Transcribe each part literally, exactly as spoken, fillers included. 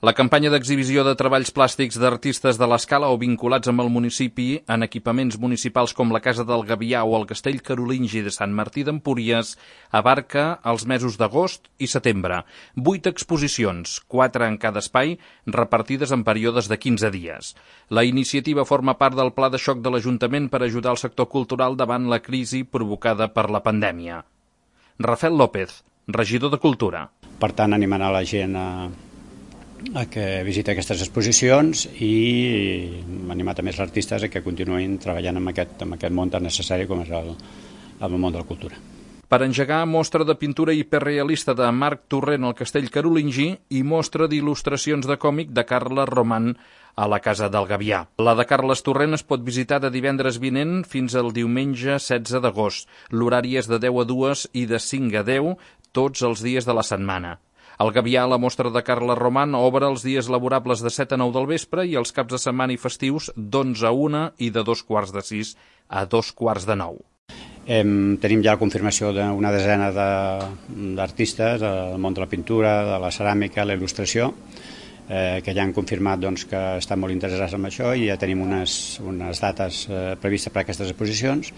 La campanya d'exhibició de treballs plàstics d'artistes de l'Escala o vinculats amb el municipi en equipaments municipals com la Casa del Gavià o el Castell Carolingi de Sant Martí d'Empúries abarca els mesos d'agost i setembre. Vuit exposicions, quatre en cada espai, repartides en períodes de quinze dies. La iniciativa forma part del pla de xoc de l'Ajuntament per ajudar el sector cultural davant la crisi provocada per la pandèmia. Rafael López, regidor de Cultura. Per tant, animant a la gent a a que visiti aquestes exposicions i animar també els artistes a que continuïn treballant en aquest, en aquest món tan necessari com és el, el món de la cultura. Per engegar mostra de pintura hiperrealista de Marc Torrent al Castell Carolingi i mostra d'il·lustracions de còmic de Carles Roman a la Casa del Gavià. La de Carles Torrent es pot visitar de divendres vinent fins al diumenge setze d'agost. L'horari és de deu a dues i de cinc a deu tots els dies de la setmana. Al Gavià, la mostra de Carles Roman obre els dies laborables de set a nou del vespre i els caps de setmana i festius d'onze a una i de dos quarts de sis a dos quarts de nou. Em, tenim ja la confirmació d'una desena d'artistes del món de la pintura, de la ceràmica, la il·lustració, eh, que ja han confirmat doncs, que estan molt interessats en això i ja tenim unes, unes dates eh, previstes per a aquestes exposicions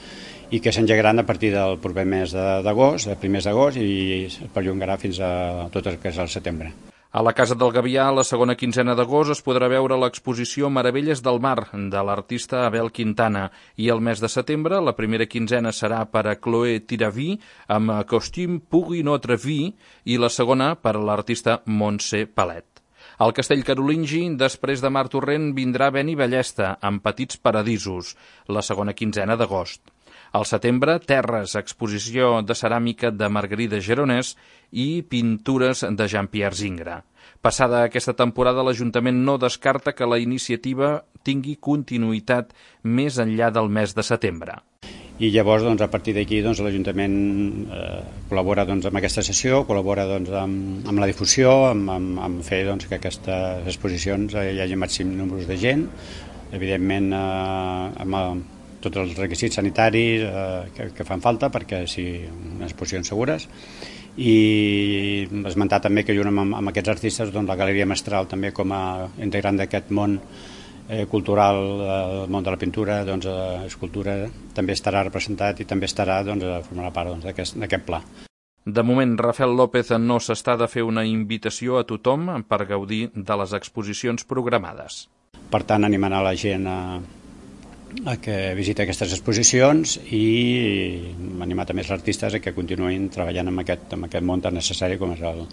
i que s'engegaran a partir del proper mes d'agost, de primers d'agost, i es perllongarà fins a tot el que és el setembre. A la Casa del Gavià, la segona quinzena d'agost, es podrà veure l'exposició Meravelles del Mar, de l'artista Abel Quintana, i el mes de setembre, la primera quinzena serà per a Chloé Tiraví, amb Costume pour une autre vie, i la segona per a l'artista Montse Palet. Al Castell Carolingi, després de Marc Torrent, vindrà Beni Ballesta, amb Petits Paradisos, la segona quinzena d'agost. Al setembre, Terres, exposició de ceràmica de Margarida Geronès i pintures de Jean-Pierre Zingra. Passada aquesta temporada, l'Ajuntament no descarta que la iniciativa tingui continuïtat més enllà del mes de setembre. I llavors, doncs, a partir d'aquí, doncs, l'Ajuntament eh, col·labora doncs, amb aquesta sessió, col·labora doncs, amb, amb la difusió, amb, amb, amb fer doncs, que aquestes exposicions eh, hi hagi màxim número de gent, evidentment eh, amb el, tots els requisits sanitaris eh, que, que fan falta perquè siguin unes exposicions segures, i esmentar també que junt amb, amb aquests artistes doncs, la Galeria Mestral també com a integrant d'aquest món eh, cultural, el món de la pintura, doncs, eh, escultura, també estarà representat i també estarà doncs, a formar part doncs, d'aquest pla. De moment, Rafael López no s'està de fer una invitació a tothom per gaudir de les exposicions programades. Per tant, animant a la gent a a que visiti aquestes exposicions i animar també els artistes a que continuïn treballant en aquest, en aquest món tan necessari com és el,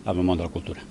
el món de la cultura.